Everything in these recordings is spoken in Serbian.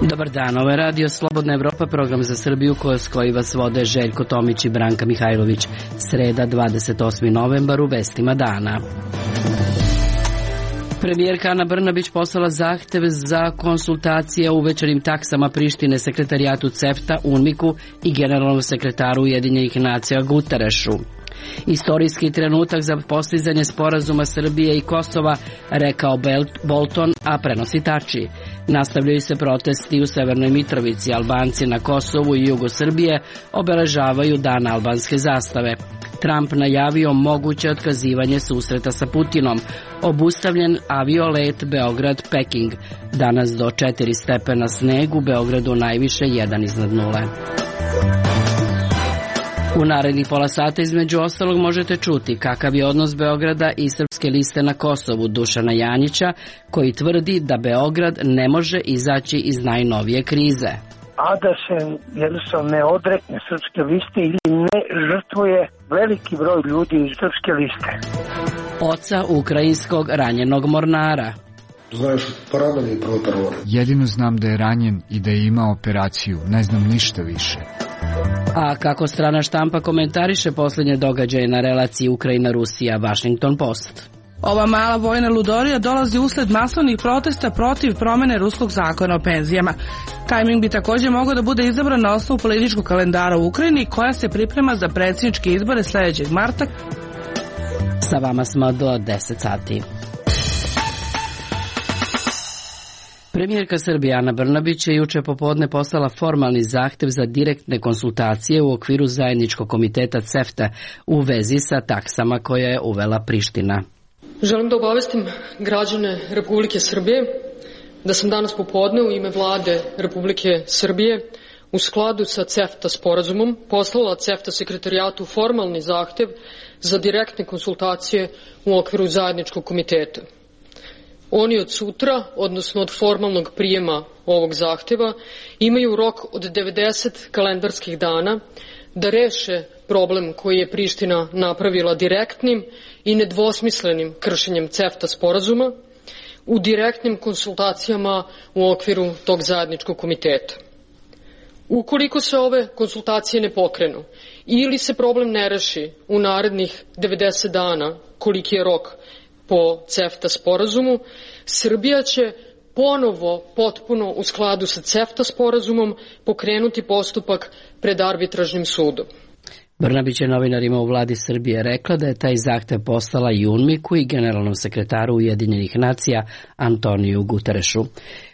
Dobar dan, ovo je Radio Slobodna Evropa, program za Srbiju koji vas vode Željko Tomić i Branka Mihajlović. Sreda, 28. novembar, u vestima dana. Premijerka Ana Brnabić poslala zahtev za konsultacije o uvećanim taksama Prištine sekretarijatu CEFTA, UNMIK-u i generalnom sekretaru Ujedinjenih nacija Guterešu. Istorijski trenutak za postizanje sporazuma Srbije i Kosova, rekao Bolton, a prenosi Tači. Nastavljaju se protesti u Severnoj Mitrovici. Albanci na Kosovu i jugu Srbije obeležavaju dan albanske zastave. Trump najavio moguće otkazivanje susreta sa Putinom. Obustavljen aviolet Beograd-Peking. Danas do 4 stepena sneg, u Beogradu najviše 1 iznad nule. U narednih pola sata između ostalog možete čuti kakav je odnos Beograda i Srpske liste na Kosovu Dušana Janjića, koji tvrdi da Beograd ne može izaći iz najnovije krize. A da se jednostavno ne odrekne Srpske liste ili ne žrtvuje veliki broj ljudi iz Srpske liste. Oca ukrajinskog ranjenog mornara. Znaš, poranjeni protarovan. Jedino znam da je ranjen i da je imao operaciju, ne znam ništa više. A kako strana štampa komentariše posljednje događaje na relaciji Ukrajina-Rusija, Washington Post. Ova mala vojna ludorija dolazi usled masovnih protesta protiv promene ruskog zakona o penzijama. Tajming bi također mogao da bude izabran na osnovu političkog kalendara u Ukrajini, koja se priprema za predsjedničke izbore sljedećeg marta. Sa vama smo do 10 sati. Premijerka Srbije Ana Brnabić je juče popodne poslala formalni zahtev za direktne konsultacije u okviru zajedničkog komiteta CEFTA u vezi sa taksama koje je uvela Priština. Želim da obavestim građane Republike Srbije da sam danas popodne u ime Vlade Republike Srbije u skladu sa CEFTA sporazumom poslala CEFTA sekretarijatu formalni zahtev za direktne konsultacije u okviru zajedničkog komiteta. Oni od sutra, odnosno od formalnog prijema ovog zahteva, imaju rok od 90 kalendarskih dana da reše problem koji je Priština napravila direktnim i nedvosmislenim kršenjem CEFTA sporazuma u direktnim konsultacijama u okviru tog zajedničkog komiteta. Ukoliko se ove konsultacije ne pokrenu ili se problem ne reši u narednih 90 dana, koliki je rok po CEFTA sporazumu, Srbija će ponovo potpuno u skladu sa CEFTA sporazumom pokrenuti postupak pred arbitražnim sudom. Brnabić je novinarima u vladi Srbije rekla da je taj zahtev poslala i UNMIK-u i generalnom sekretaru Ujedinjenih nacija Antoniju Guterešu.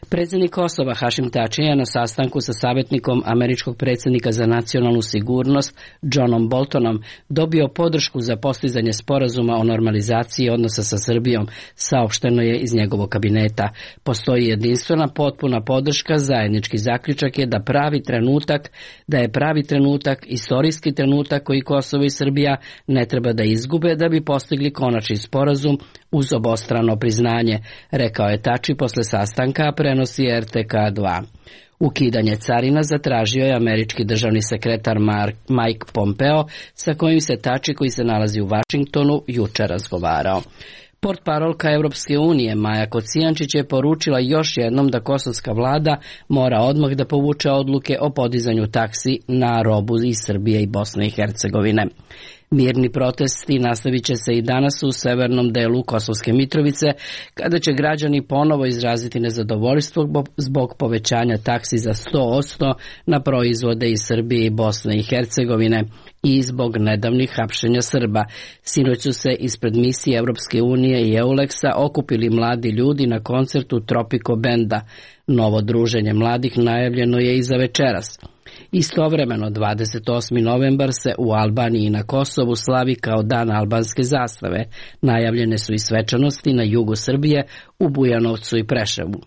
Predsjednik Kosova Hašim Tači je na sastanku sa savjetnikom američkog predsjednika za nacionalnu sigurnost Johnom Boltonom dobio podršku za postizanje sporazuma o normalizaciji odnosa sa Srbijom, saopšteno je iz njegovog kabineta. Postoji jedinstvena potpuna podrška, zajednički zaključak je da je pravi trenutak, istorijski trenutak koji Kosovo i Srbija ne treba da izgube da bi postigli konačni sporazum uz obostrano priznanje, rekao je Tači posle sastanka, prenosi RTK2. Ukidanje carina zatražio je američki državni sekretar Mike Pompeo, sa kojim se Tači, koji se nalazi u Vašingtonu, juče razgovarao. Portparolka Europske unije Maja Kocijančić je poručila još jednom da kosovska vlada mora odmah da povuče odluke o podizanju taksi na robu iz Srbije i Bosne i Hercegovine. Mirni protesti nastavit će se i danas u severnom delu Kosovske Mitrovice, kada će građani ponovo izraziti nezadovoljstvo zbog povećanja taksi za 100% na proizvode iz Srbije i Bosne i Hercegovine i zbog nedavnih hapšenja Srba. Sinoć su se ispred misije Europske unije i EULEX-a okupili mladi ljudi na koncertu Tropico Benda. Novo druženje mladih najavljeno je i za večeras. Istovremeno, 28. novembar se u Albaniji i na Kosovu slavi kao dan albanske zastave. Najavljene su i svečanosti na jugu Srbije, u Bujanovcu i Preševu.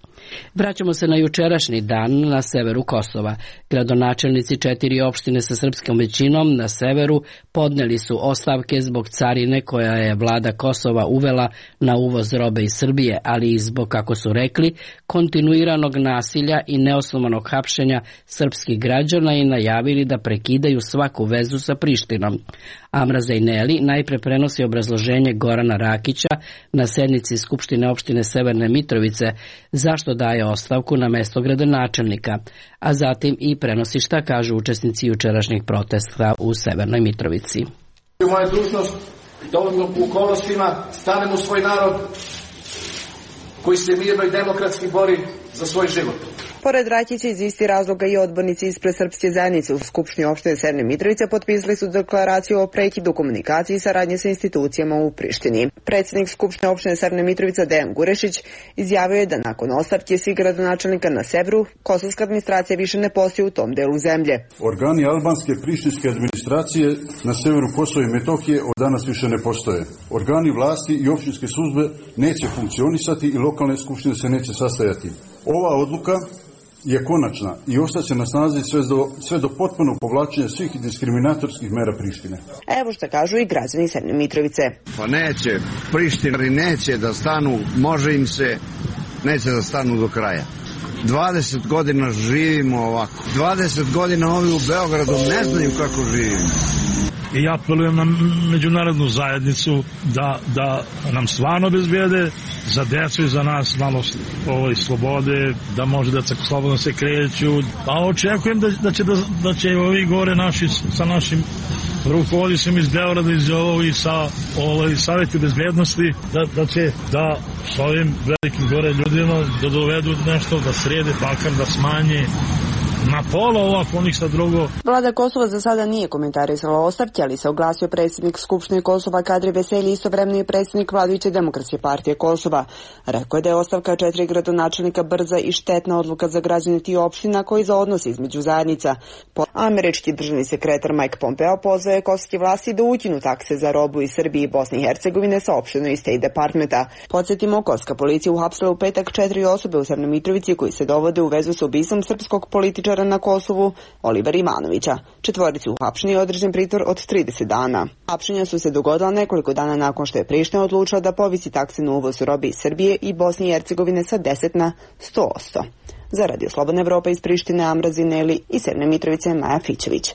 Vraćamo se na jučerašnji dan na severu Kosova. Gradonačelnici 4 opštine sa srpskom većinom na severu podneli su ostavke zbog carine koja je vlada Kosova uvela na uvoz robe iz Srbije, ali i zbog, kako su rekli, kontinuiranog nasilja i neosnovanog hapšenja srpskih građana i najavili da prekidaju svaku vezu sa Prištinom. Amra Zejneli najpre prenosi obrazloženje Gorana Rakića na sednici Skupštine opštine Severne Mitrovice zašto daje ostavku na mesto gradonačelnika, a zatim i prenosi šta kažu učesnici jučerašnjeg protesta u Severnoj Mitrovici. Moja dužnost da ovim okolnostima stanem u svoj narod koji se mirno i demokratski bori za svoj život. Pored Rakića iz isti razloga i odbornici ispred Srpske zajednice u Skupštini opštine Severne Mitrovice potpisali su deklaraciju o prekidu komunikacije i saradnje sa institucijama u Prištini. Predsjednik Skupštine opštine Severne Mitrovice Dejan Gurešić izjavio je da nakon ostavke svih gradonačelnika na severu, kosovska administracija više ne postoji u tom delu zemlje. Organi albanske prištinske administracije na severu Kosova i Metohije od danas više ne postoje. Organi vlasti i opštinske službe neće funkcionisati i lokalne skupštine se neće sastajati. Ova odluka je konačna i ostaće na snazi sve do potpunog povlačenja svih diskriminatorskih mera Prištine. Evo što kažu i građani Severne Mitrovice. Pa neće, Prištinari neće da stanu, može im se, neće da stanu do kraja. 20 godina živimo ovako. 20 godina ovi u Beogradu ne znaju kako živimo. I apelujem na međunarodnu zajednicu da nam stvarno obezbijede za decu i za nas malo slobode, da može deca slobodno se kreću. A očekujem da će ovi gore naši sa našim rukovodicima iz Beograda i sa savjeti bezbednosti da će da s ovim velikim gore ljudima da dovedu nešto, da srede Balkan, da smanje na pola ovako, ništa drugo. Vlada Kosova za sada nije komentarisala ostavke, ali se oglasio predsjednik Skupštine Kosova Kadri Veselji, istovremeno i predsjednik vladajuće Demokratske partije Kosova. Rekao je da je ostavka 4 gradonačelnika brza i štetna odluka za građane tih opština koji za odnos između zajednica. Američki državni sekretar Mike Pompeo pozvao je kosovske vlasti da ukinu takse za robu iz Srbije i Bosne i Hercegovine, saopšteno iz State Departmenta. Podsjetimo, kosovska policija uhapsila u petak 4 osobe u Severnoj Mitrovici koji se dovode u vezu sa ubistvom srpskog političara na Kosovu, Olivera Ivanovića. Četvorici uhapšeni je određen pritvor od 30 dana. Hapšenja su se dogodila nekoliko dana nakon što je Priština odlučila da povisi takse na uvoz robe iz Srbije i Bosne i Hercegovine sa 10 na 100%. Za Radio Slobodna Evropa iz Prištine, Amra Zejneli i Severne Mitrovice, Maja Fićević.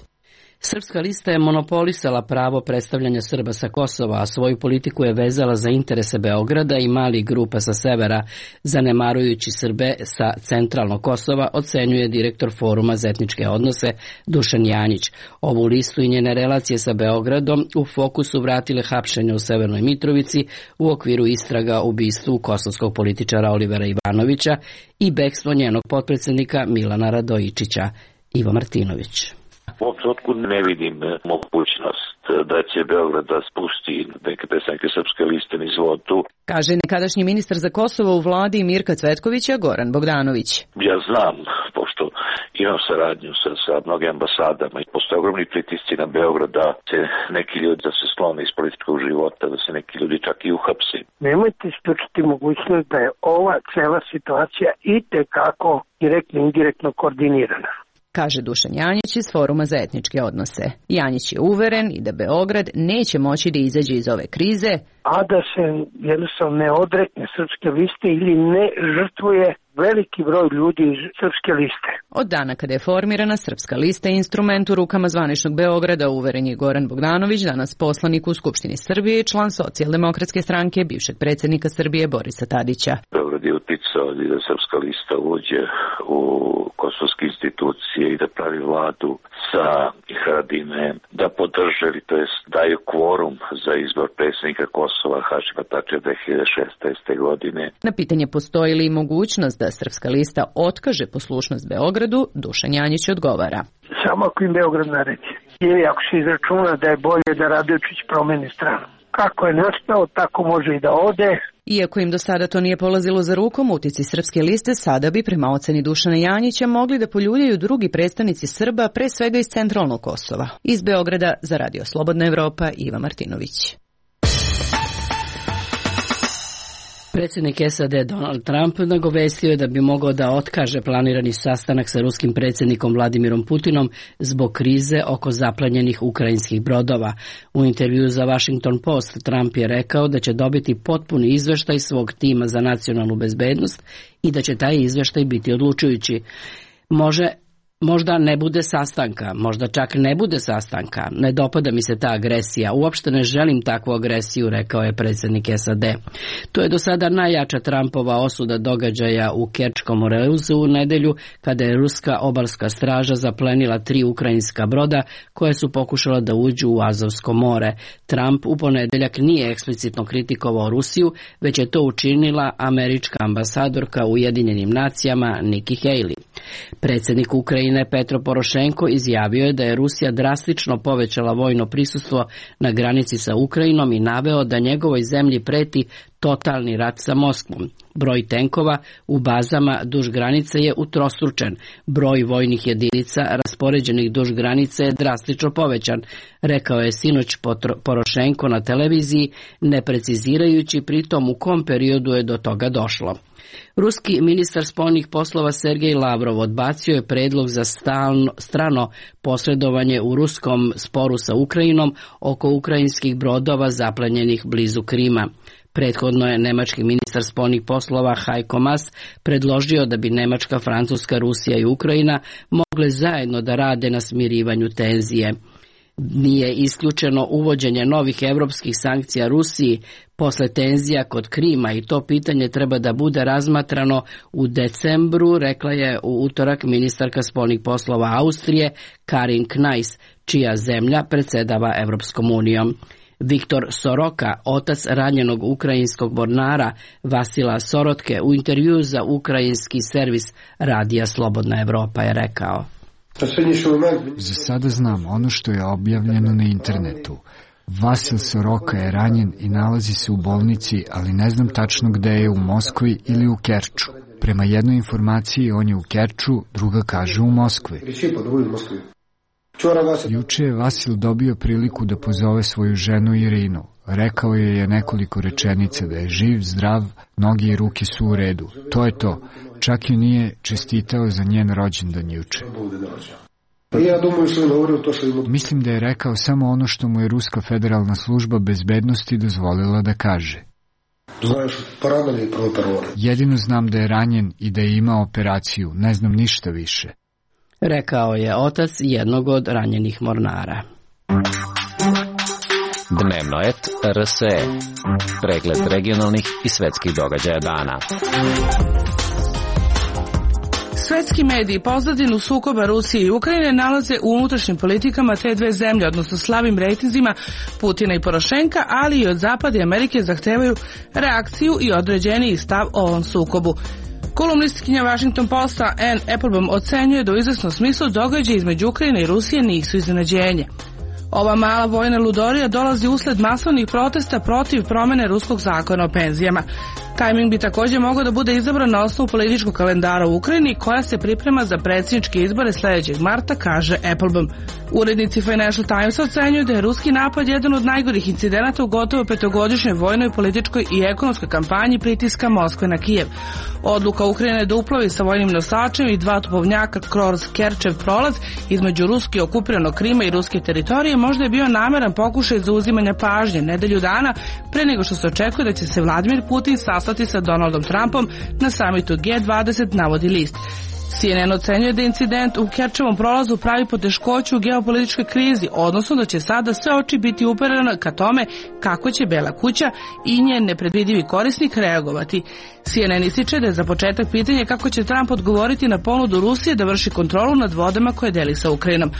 Srpska lista je monopolisala pravo predstavljanja Srba sa Kosova, a svoju politiku je vezala za interese Beograda i malih grupa sa severa, zanemarujući Srbe sa centralnog Kosova, ocenjuje direktor Foruma za etničke odnose Dušan Janjić. Ovu listu i njene relacije sa Beogradom u fokusu vratile hapšenje u Severnoj Mitrovici u okviru istraga o ubistvu kosovskog političara Olivera Ivanovića i bekstvo njenog potpredsjednika Milana Radojičića. Ivo Martinović. U ovom trenutku ne vidim mogućnost da će Beograd da spusti neke predstavnike Srpske liste niz vodu. Kaže nekadašnji ministar za Kosovo u vladi Mirka Cvetkovića Goran Bogdanović. Ja znam, pošto imam saradnju sa mnoge ambasadama i postoje ogromni pritisci na Beograd da se neki ljudi da se sklone iz političkog života, da se neki ljudi čak i uhapsi. Nemojte isključiti mogućnost da je ova cela situacija itekako direktno i indirektno koordinirana, kaže Dušan Janjić iz Foruma za etničke odnose. Janjić je uveren i da Beograd neće moći da izađe iz ove krize, a da se jednostavno ne odrekne Srpske liste ili ne žrtvuje veliki broj ljudi iz Srpske liste. Od dana kada je formirana Srpska lista instrument u rukama zvaničnog Beograda, uveren je Goran Bogdanović, danas poslanik u Skupštini Srbije i član Socijaldemokratske stranke bivšeg predsjednika Srbije Borisa Tadića. Beograd je uticao da Srpska lista uđe u kosovske institucije i da pravi vladu sa Haradinajem, da podrže, to jest daju kvorum za izbor predsjednika Kosova Hašima Tačija 2016. godine. Na pitanje postoji li mogućnost da Srpska lista otkaže poslušnost Beogradu, Dušan Janjić odgovara. Samo ako im Beograd naredi. Ili ako se izračuna da je bolje da Radojičić promeni stranu. Kako je nastao, tako može i da ode. Iako im do sada to nije polazilo za rukom, utici Srpske liste sada bi, prema oceni Dušana Janjića, mogli da poljuljaju drugi predstavnici Srba, pre svega iz centralnog Kosova. Iz Beograda za Radio Slobodna Evropa, Iva Martinović. Predsjednik SAD Donald Trump nagovestio je da bi mogao da otkaže planirani sastanak sa ruskim predsjednikom Vladimirom Putinom zbog krize oko zaplenjenih ukrajinskih brodova. U intervjuu za Washington Post Trump je rekao da će dobiti potpuni izveštaj svog tima za nacionalnu bezbednost i da će taj izveštaj biti odlučujući. Može Možda ne bude sastanka, možda čak ne bude sastanka. Ne dopada mi se ta agresija. Uopšte ne želim takvu agresiju, rekao je predsjednik SAD. To je do sada najjača Trumpova osuda događaja u Kerčkom morezu u nedelju, kada je ruska obalska straža zaplenila 3 ukrajinska broda koje su pokušala da uđu u Azovsko more. Trump u ponedeljak nije eksplicitno kritikovao Rusiju, već je to učinila američka ambasadorka u Ujedinjenim nacijama Nikki Haley. Predsjednik Ukrajine Petro Porošenko izjavio je da je Rusija drastično povećala vojno prisustvo na granici sa Ukrajinom i naveo da njegovoj zemlji preti totalni rat sa Moskvom. Broj tenkova u bazama duž granice je utrostručen. Broj vojnih jedinica raspoređenih duž granice je drastično povećan, rekao je sinoć Porošenko na televiziji, ne precizirajući pritom u kom periodu je do toga došlo. Ruski ministar spoljnih poslova Sergej Lavrov odbacio je predlog za strano posredovanje u ruskom sporu sa Ukrajinom oko ukrajinskih brodova zaplenjenih blizu Krima. Prethodno je nemački ministar spoljnih poslova Heiko Maas predložio da bi Nemačka, Francuska, Rusija i Ukrajina mogle zajedno da rade na smirivanju tenzije. Nije isključeno uvođenje novih evropskih sankcija Rusiji posle tenzija kod Krima i to pitanje treba da bude razmatrano u decembru, rekla je u utorak ministarka spoljnih poslova Austrije Karin Knajs, čija zemlja predsjedava Evropskom unijom. Viktor Soroka, otac ranjenog ukrajinskog mornara Vasila Sorotke, u intervjuu za ukrajinski servis radija Slobodna Evropa je rekao: Za sada znam ono što je objavljeno na internetu. Vasil Soroka je ranjen i nalazi se u bolnici, ali ne znam tačno gde je, u Moskvi ili u Kerču. Prema jednoj informaciji on je u Kerču, druga kaže u Moskvi. Juče je Vasil dobio priliku da pozove svoju ženu Irinu. Rekao je nekoliko rečenica, da je živ, zdrav, noge i ruke su u redu. To je to. Čak i nije čestitao za njen rođendan juče. Mislim da je rekao samo ono što mu je Ruska federalna služba bezbednosti dozvolila da kaže. Jedino znam da je ranjen i da je imao operaciju, ne znam ništa više. Rekao je otac jednog od ranjenih mornara. Dnevnoet RSE. Pregled regionalnih i svetskih događaja dana. Svetski mediji pozadinu sukoba Rusije i Ukrajine nalaze u unutrašnjim politikama te dve zemlje, odnosno slabim rejtinzima Putina i Porošenka, ali i od Zapada i Amerike zahtevaju reakciju i određeniji stav o ovom sukobu. Kolumnistkinja Washington Posta Ann Applebaum ocenjuje da u izvesnom smislu događaji između Ukrajine i Rusije nisu iznenađenje. Ova mala vojna ludorija dolazi usled masovnih protesta protiv promene ruskog zakona o penzijama. Tajming bi također mogao da bude izabran na osnovu političkog kalendara u Ukrajini, koja se priprema za predsjedničke izbore sljedećeg marta, kaže Applebaum. Urednici Financial Timesa ocenjuju da je ruski napad jedan od najgorih incidenata u gotovo 5-godišnjoj vojnoj, političkoj i ekonomskoj kampanji pritiska Moskve na Kijev. Odluka Ukrajine da uplovi sa vojnim nosačem i 2 topovnjaka kroz Kerčev prolaz između ruski okupiranog Krima i ruske teritorije možda je bio nameran pokušaj za uzimanje pažnje nedelju dana pre nego što se očekuje da će se Vladimir Putin sastati sa Donaldom Trumpom na samitu G20, navodi list. CNN ocenjuje da incident u Kerčevom prolazu pravi poteškoću u geopolitičkoj krizi, odnosno da će sada sve oči biti uperene ka tome kako će Bela kuća i njen nepredvidivi korisnik reagovati. CNN ističe da je za početak pitanje kako će Trump odgovoriti na ponudu Rusije da vrši kontrolu nad vodama koje deli sa Ukrajinom.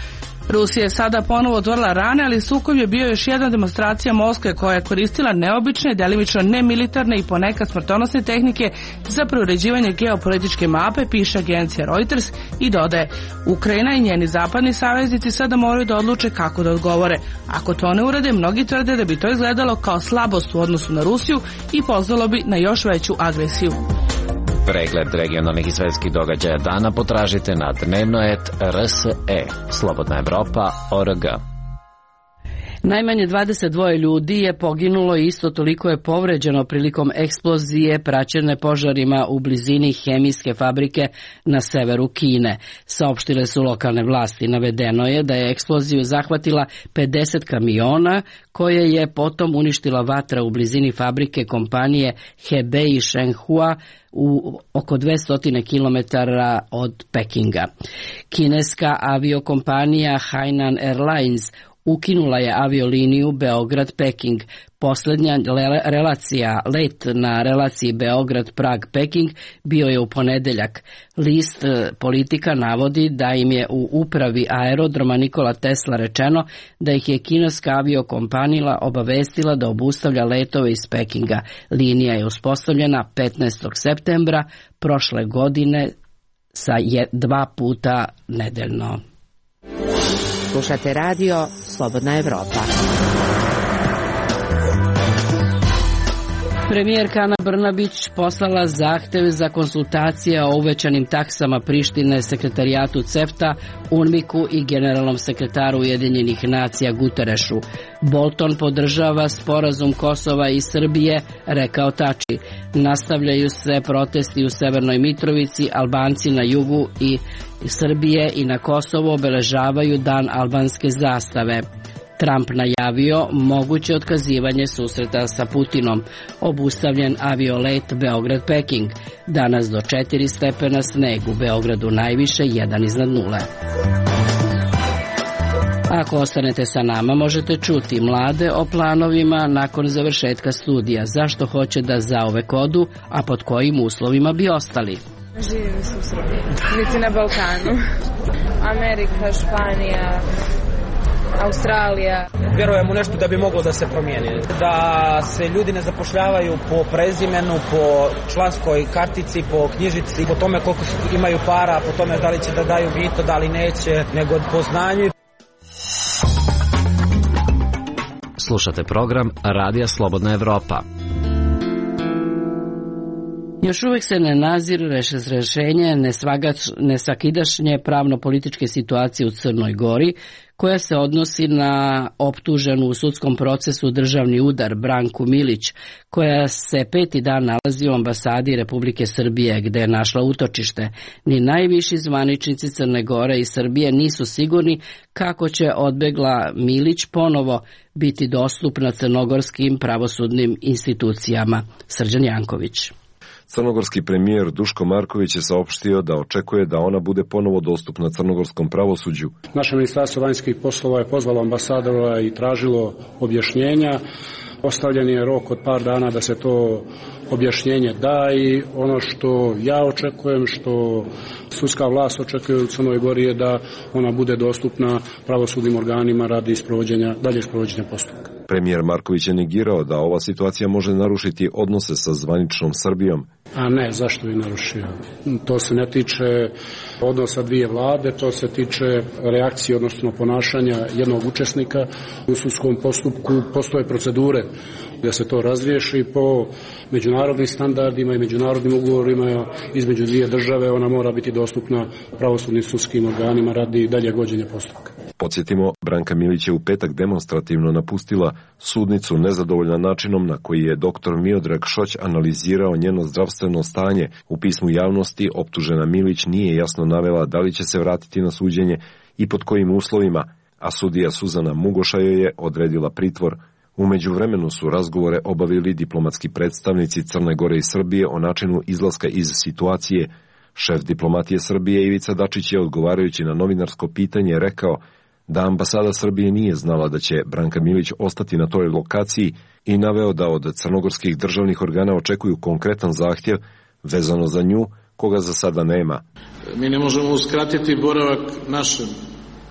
Rusija je sada ponovo otvorila rane, ali sukob je bio još jedna demonstracija Moskve koja je koristila neobične, delimično nemilitarne i ponekad smrtonosne tehnike za preuređivanje geopolitičke mape, piše agencija Reuters, i dodaje: Ukrajina i njeni zapadni saveznici sada moraju da odluče kako da odgovore. Ako to ne urade, mnogi tvrde da bi to izgledalo kao slabost u odnosu na Rusiju i pozvalo bi na još veću agresiju. Pregled regionalnih i svetskih događaja dana potražite na dnevnoet.rs.e. Slobodna Evropa.org. Najmanje 22 ljudi je poginulo i isto toliko je povređeno prilikom eksplozije praćene požarima u blizini hemijske fabrike na severu Kine. Saopštile su lokalne vlasti. Navedeno je da je eksploziju zahvatila 50 kamiona koje je potom uništila vatra u blizini fabrike kompanije Hebei Shenhua u oko 200 km od Pekinga. Kineska aviokompanija Hainan Airlines ukinula je avioliniju Beograd-Peking. Poslednja relacija, let na relaciji Beograd-Prag-Peking bio je u ponedeljak. List Politika navodi da im je u upravi aerodroma Nikola Tesla rečeno da ih je kineska aviokompanija obavestila da obustavlja letove iz Pekinga. Linija je uspostavljena 15. septembra prošle godine sa 2 puta nedeljno. Slušate radio Slobodna Evropa. Premijerka Ana Brnabić poslala zahtev za konsultacije o uvećanim taksama Prištine sekretarijatu CEFTA, UNMIK-u i generalnom sekretaru Ujedinjenih nacija Guterešu. Bolton podržava sporazum Kosova i Srbije, rekao Tači. Nastavljaju se protesti u Severnoj Mitrovici, Albanci na jugu i Srbije i na Kosovu obeležavaju dan albanske zastave. Trump najavio moguće otkazivanje susreta sa Putinom. Obustavljen aviolet Beograd-Peking. Danas do 4 stepena sneg, u Beogradu najviše 1 iznad nule. Ako ostanete sa nama, možete čuti mlade o planovima nakon završetka studija. Zašto hoće da zauvek odu, a pod kojim uslovima bi ostali? Živim se u Srbiji, niti na Balkanu. Amerika, Španija, Australija. Vjerujem u nešto da bi moglo da se promijeni. Da se ljudi ne zapošljavaju po prezimenu, po članskoj kartici, po knjižici, po tome koliko imaju para, po tome da li će da daju mito, da li neće, nego po znanju. Slušate program Radija Slobodna Evropa. Još uvek se ne nazire rešenje nesvakidašnje pravno-političke situacije u Crnoj Gori, koja se odnosi na optuženu u sudskom procesu državni udar Branku Milić, koja se 5. dan nalazi u ambasadi Republike Srbije, gde je našla utočište. Ni najviši zvaničnici Crne Gore i Srbije nisu sigurni kako će odbegla Milić ponovo biti dostupna crnogorskim pravosudnim institucijama. Srđan Janković. Crnogorski premijer Duško Marković je saopštio da očekuje da ona bude ponovo dostupna crnogorskom pravosuđu. Naše ministarstvo vanjskih poslova je pozvalo ambasadora i tražilo objašnjenja. Ostavljen je rok od par dana da se to objašnjenje da i ono što ja očekujem, što sudska vlast očekuje u Crnoj Gori je da ona bude dostupna pravosudnim organima radi daljeg sprovođenja postupka. Premijer Marković je negirao da ova situacija može narušiti odnose sa zvaničnom Srbijom. A ne, zašto bi narušio? To se ne tiče odnosa dvije vlade, to se tiče reakcije, odnosno ponašanja jednog učesnika u sudskom postupku. Postoje procedure da se to razriješi po međunarodnim standardima i međunarodnim ugovorima između dvije države. Ona mora biti dostupna pravosudnim sudskim organima radi daljeg vođenja postupka. Podsjetimo, Branka Milić je u petak demonstrativno napustila sudnicu nezadovoljna načinom na koji je dr. Miodrag Šoć analizirao njeno zdravstveno stanje. U pismu javnosti optužena Milić nije jasno navela da li će se vratiti na suđenje i pod kojim uslovima, a sudija Suzana Mugoša joj je odredila pritvor. U međuvremenu su razgovore obavili diplomatski predstavnici Crne Gore i Srbije o načinu izlaska iz situacije. Šef diplomatije Srbije Ivica Dačić je odgovarajući na novinarsko pitanje rekao da ambasada Srbije nije znala da će Branka Milić ostati na toj lokaciji i naveo da od crnogorskih državnih organa očekuju konkretan zahtjev vezano za nju, koga za sada nema. Mi ne možemo uskratiti boravak našem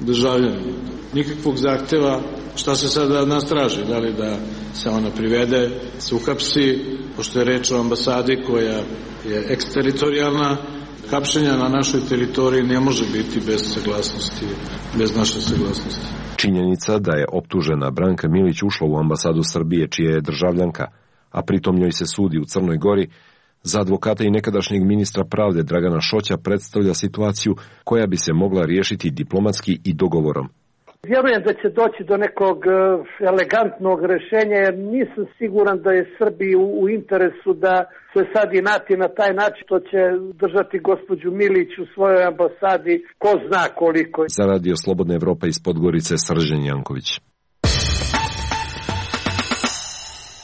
državljaninu. Nikakvog zahteva, šta se sada od nas traži, da li da se ona privede, se uhapsi, pošto je reč o ambasadi koja je eksteritorijalna. Hapšenja na našoj teritoriji ne može biti bez saglasnosti, bez naše saglasnosti. Činjenica da je optužena Branka Milić ušla u ambasadu Srbije, čija je državljanka, a pritom njoj se sudi u Crnoj Gori, za advokata i nekadašnjeg ministra pravde Dragana Šoća predstavlja situaciju koja bi se mogla riješiti diplomatski i dogovorom. Vjerujem da će doći do nekog elegantnog rešenja, jer nisam siguran da je Srbiji u interesu da se sad inati na taj način, što će držati gospođu Milić u svojoj ambasadi, ko zna koliko. Za Radio Slobodna Evropa iz Podgorice, Srđan Janković.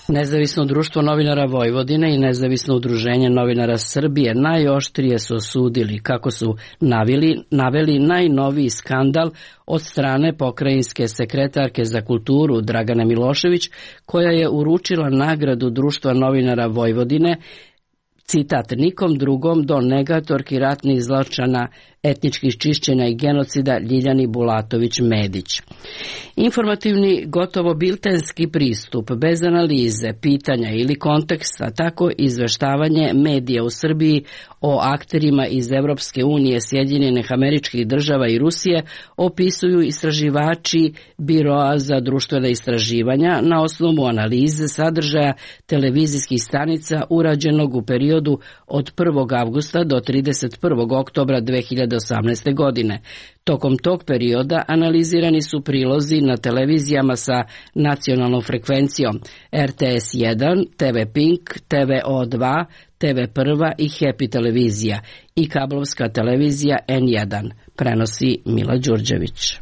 Nezavisno društvo novinara Vojvodine i Nezavisno udruženje novinara Srbije najoštrije su osudili, kako su naveli najnoviji skandal od strane pokrajinske sekretarke za kulturu Dragane Milošević, koja je uručila nagradu Društva novinara Vojvodine, citat, nikom drugom do negatorki ratnih zločina, etničkih čišćenja i genocida Ljiljani Bulatović-Medić. Informativni, gotovo biltenski pristup, bez analize, pitanja ili konteksta, tako izveštavanje medija u Srbiji o akterima iz Evropske unije, Sjedinjenih Američkih Država i Rusije opisuju istraživači Biroa za društvena istraživanja na osnovu analize sadržaja televizijskih stanica urađenog u periodu od 1. avgusta do 31. oktobra 2018. godine. Tokom tog perioda analizirani su prilozi na televizijama sa nacionalnom frekvencijom RTS 1, TV Pink, TVO2, TV1 i Happy televizija i kablovska televizija N1, prenosi Mila Đurđević.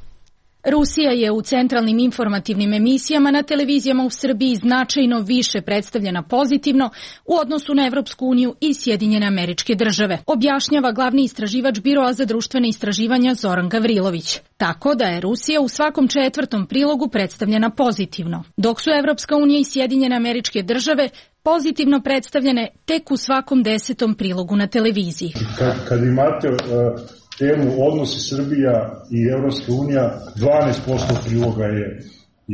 Rusija je u centralnim informativnim emisijama na televizijama u Srbiji značajno više predstavljena pozitivno u odnosu na Evropsku uniju i Sjedinjene Američke Države, objašnjava glavni istraživač Biroa za društvene istraživanja Zoran Gavrilović. Tako da je Rusija u svakom 4. prilogu predstavljena pozitivno, dok su Evropska unija i Sjedinjene Američke Države pozitivno predstavljene tek u svakom 10. prilogu na televiziji. Kad imate temu odnosi Srbija i Evropska unija, 12% priloga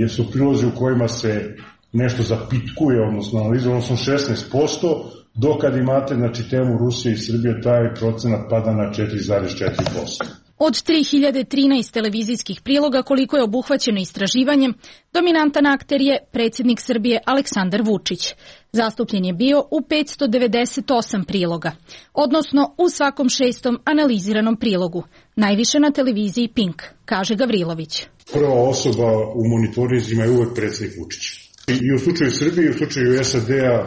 su prilozi u kojima se nešto zapitkuje, odnosno analizuje, odnosno 16%, dok kad imate temu Rusije i Srbije, taj procenat pada na 4,4%. Od 3013 televizijskih priloga koliko je obuhvaćeno istraživanjem, dominantan akter je predsjednik Srbije Aleksandar Vučić. Zastupljen je bio u 598 priloga, odnosno u svakom 6. analiziranom prilogu, najviše na televiziji Pink, kaže Gavrilović. Prva osoba u monitorizima je uvek predsjednik Vučić. I u slučaju Srbije, i u slučaju SAD-a,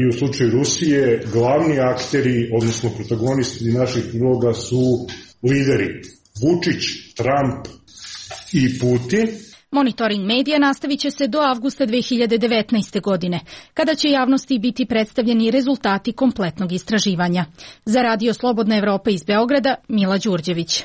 i u slučaju Rusije, glavni akteri, odnosno protagonisti naših priloga su lideri Vučić, Trump i Putin. Monitoring medija nastavit će se do avgusta 2019. godine, kada će javnosti biti predstavljeni rezultati kompletnog istraživanja. Za Radio Slobodna Evropa iz Beograda, Mila Đurđević.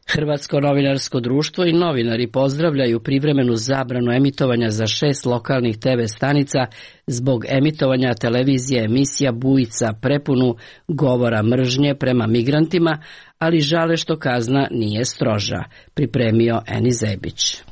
Hrvatsko novinarsko društvo i novinari pozdravljaju privremenu zabranu emitovanja za 6 lokalnih TV stanica zbog emitovanja televizije emisija Bujica prepunu govora mržnje prema migrantima, ali žale što kazna nije stroža, pripremio Eni Zebić.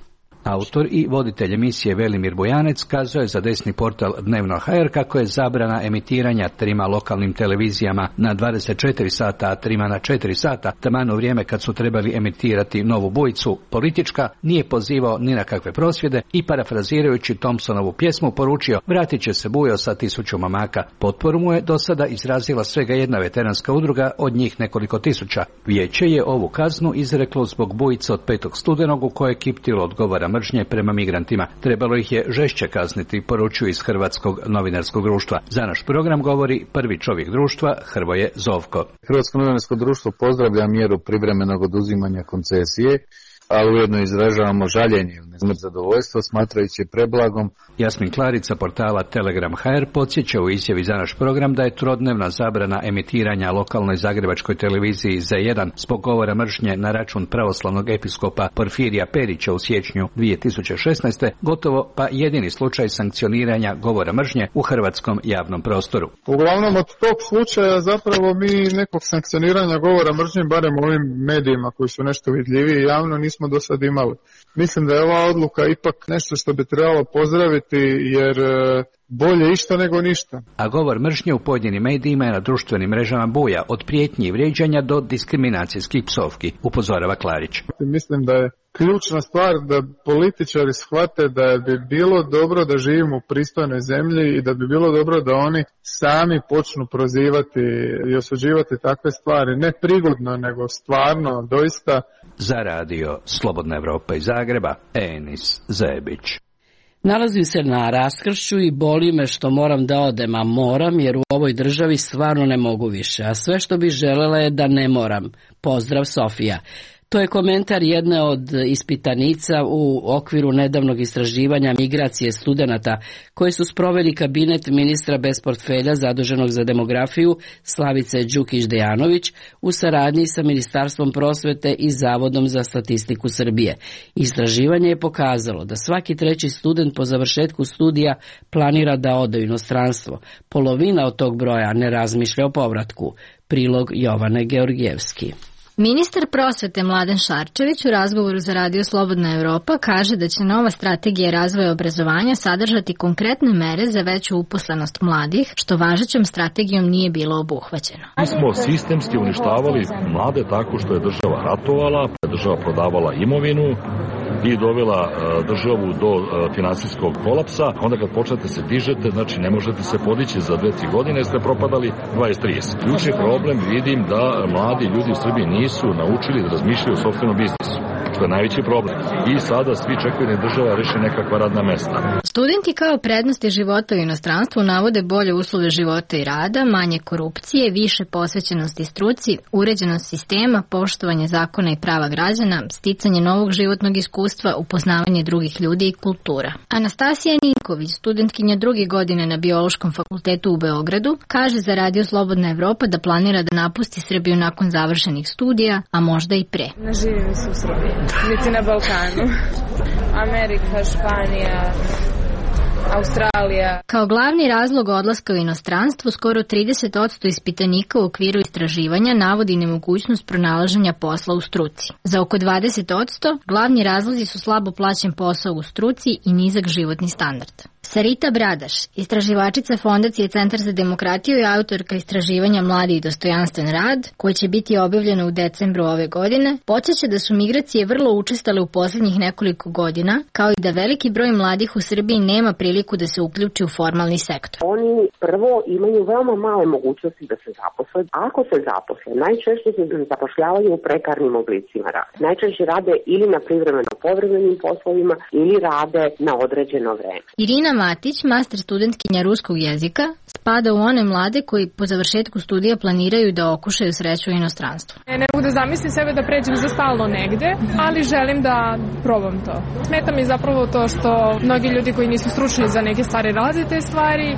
Autor i voditelj emisije Velimir Bojanec kazao je za desni portal Dnevno.hr kako je zabrana emitiranja 3 lokalnim televizijama na 24 sata, a 3 na 4 sata, taman u vrijeme kad su trebali emitirati Novu Bujicu, politička, nije pozivao ni na kakve prosvjede i parafrazirajući Thompsonovu pjesmu poručio vratit će se Bujo sa 1000 momaka. Potporu mu je do sada izrazila svega jedna veteranska udruga, od njih nekoliko tisuća. Vijeće je ovu kaznu izreklo zbog Bujice od 5. studenog u kojoj je kiptilo od govora mržnje prema migrantima. Trebalo ih je žešće kazniti, poručuju iz Hrvatskog novinarskog društva. Za naš program govori prvi čovjek društva, Hrvoje Zovko. Hrvatsko novinarsko društvo pozdravlja mjeru privremenog oduzimanja koncesije, ali ujedno izražavamo žaljenje ili zadovoljstvo smatrajući preblagom. Jasmin Klarica portala Telegram.hr podsjeća u izjavi za naš program da je trodnevna zabrana emitiranja lokalnoj zagrebačkoj televiziji Z1 zbog govora mržnje na račun pravoslavnog episkopa Porfirija Perića u siječnju 2016. gotovo pa jedini slučaj sankcioniranja govora mržnje u hrvatskom javnom prostoru. Uglavnom od tog slučaja zapravo mi nekog sankcioniranja govora mržnje, barem ovim medijima koji su nešto vidljiviji javno, nismo do sad imali. Mislim da je ova odluka ipak nešto što bi trebalo pozdraviti, jer bolje išta nego ništa. A govor mržnje u pojedinim medijima je na društvenim mrežama buja, od prijetnji i vrijeđanja do diskriminacijskih psovki, upozorava Klarić. Mislim da je ključna stvar da političari shvate da bi bilo dobro da živimo u pristojnoj zemlji i da bi bilo dobro da oni sami počnu prozivati i osuđivati takve stvari. Ne prigodno, nego stvarno, doista. za radio Slobodna Evropa iz Zagreba, Enis Zebić. Nalazim se na raskršću i boli me što moram da odem, a moram jer u ovoj državi stvarno ne mogu više, a sve što bih želela je da ne moram. Pozdrav, Sofija. To je komentar jedne od ispitanica u okviru nedavnog istraživanja migracije studenata koje su sproveli kabinet ministra bez portfelja zaduženog za demografiju Slavice Đukić-Dejanović u saradnji sa Ministarstvom prosvete i Zavodom za statistiku Srbije. Istraživanje je pokazalo da svaki treći student po završetku studija planira da ode u inostranstvo. Polovina od tog broja ne razmišlja o povratku. Prilog Jovane Georgijevski. Ministar prosvete Mladen Šarčević u razgovoru za radio Slobodna Evropa kaže da će nova strategija razvoja obrazovanja sadržati konkretne mere za veću uposlenost mladih, što važećom strategijom nije bilo obuhvaćeno. Mi smo sistemski uništavali mlade tako što je država ratovala, država prodavala imovinu i dovela državu do finansijskog kolapsa. Onda kad počnete se dižete, znači ne možete se podići za 2-3 godine, ste propadali 20-30. Ključni problem vidim da mladi ljudi u Srbiji nisu naučili da razmišljaju o sopstvenom biznisu, što je najveći problem. I sada svi čekaju da država reši nekakva radna mesta. Studenti kao prednosti života u inostranstvu navode bolje uslove života i rada, manje korupcije, više posvećenosti struci, uređenost sistema, poštovanje zakona i prava građana, sticanje novog životnog iskustva, upoznavanje drugih ljudi i kultura. Anastasija Ninković, studentkinja 2. godine na Biološkom fakultetu u Beogradu, kaže za radio Slobodna Evropa da planira da napusti Srbiju nakon završenih studija, a možda i pre. Ne živim se u Srbiji, niti na Balkanu. Amerika, Španija, Australija. Kao glavni razlog odlaska u inostranstvo, skoro 30% ispitanika u okviru istraživanja navodi nemogućnost pronalaženja posla u struci. Za oko 20% glavni razlozi su slabo plaćen posao u struci i nizak životni standard. Sarita Bradaš, istraživačica Fondacije Centar za demokratiju i autorka istraživanja Mladi i dostojanstven rad, koje će biti objavljeno u decembru ove godine, podsjeća da su migracije vrlo učestale u posljednjih nekoliko godina, kao i da veliki broj mladih u Srbiji nema priliku da se uključi u formalni sektor. Oni prvo imaju veoma male mogućnosti da se zaposle. Ako se zaposle, najčešće se zapošljavaju u prekarnim oblicima rada. Najčešće rade ili na privremeno povremenim poslovima ili rade na određeno vreme. Irina Matić, master studentkinja ruskog jezika, spada u one mlade koji po završetku studija planiraju da okušaju sreću u inostranstvu. Ne mogu da zamislim sebe da pređem za stalno negde, ali želim da probam to. Smeta mi zapravo to što mnogi ljudi koji nisu stručni za neke stvari rade te stvari.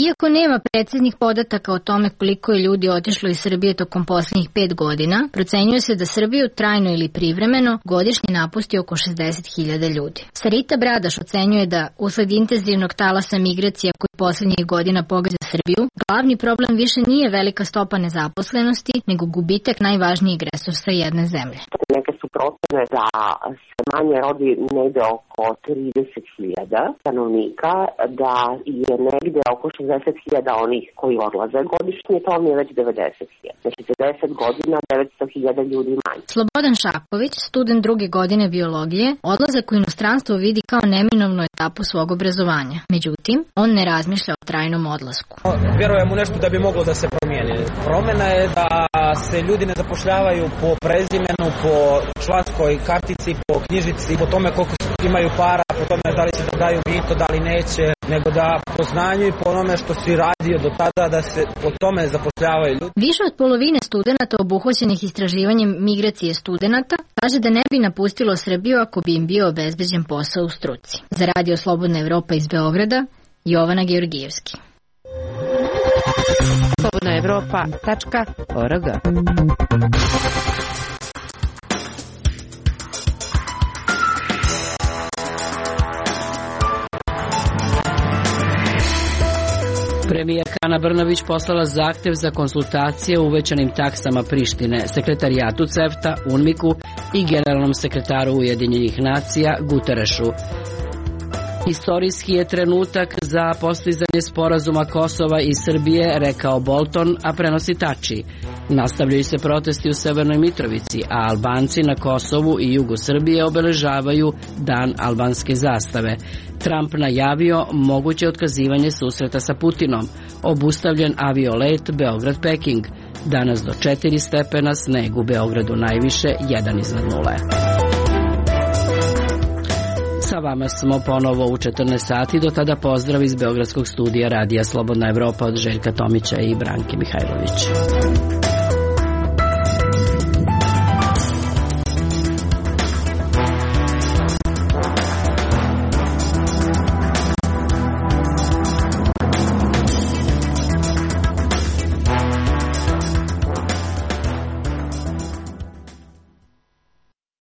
Iako nema preciznih podataka o tome koliko je ljudi otišlo iz Srbije tokom posljednjih 5 godina, procenjuje se da Srbiju trajno ili privremeno godišnje napusti oko 60.000 ljudi. Sarita Bradaš ocenjuje da usled intenzivnog talasa migracija koji posljednjih godina pogađa Srbiju, glavni problem više nije velika stopa nezaposlenosti, nego gubitak najvažnijeg resursa jedne zemlje. Neke su procene da se manje rodi negde oko 30.000 stanovnika, da je negde oko 60.000 onih koji odlaze godišnje, to mi je već 90.000. Znači za 10 godina 900.000 ljudi manje. Slobodan Šaković, student 2. godine biologije, odlazak u inostranstvo vidi kao neminovnu etapu svog obrazovanja. Međutim, on ne razmišlja o trajnom odlasku. Vjerujem u nešto da bi moglo da se promijeni. Promjena je da se ljudi ne zapošljavaju po prezimenu, po članskoj kartici, po knjižici, po tome koliko imaju para, po tome da li će da daju mito, da li neće, nego da po znanju i po onome što si radio do tada da se po tome zapošljavaju ljudi. Više od polovine studenata obuhvaćenih istraživanjem migracije studenata kaže da ne bi napustilo Srbiju ako bi im bio obezbeđen posao u struci. Za radio Slobodna Evropa iz Beograda, Jovana Georgijevski. slobodnaevropa.org. Premijerka Ana Brnabić poslala zahtev za konsultacije o uvećanim taksama Prištine, sekretarijatu CEFTA, UNMIK-u i generalnom sekretaru Ujedinjenih nacija Guterešu. Istorijski je trenutak za postizanje sporazuma Kosova i Srbije, rekao Bolton, a prenosi Tači. Nastavljaju se protesti u Severnoj Mitrovici, a Albanci na Kosovu i jugu Srbije obeležavaju Dan albanske zastave. Trump najavio moguće otkazivanje susreta sa Putinom. Obustavljen aviolet Beograd-Peking. danas do 4 stepena, sneg u Beogradu najviše 1 iznad nule. Sa vama smo ponovo u 14 sati, do tada pozdrav iz Beogradskog studija Radija Slobodna Evropa od Željka Tomića i Branke Mihajlović.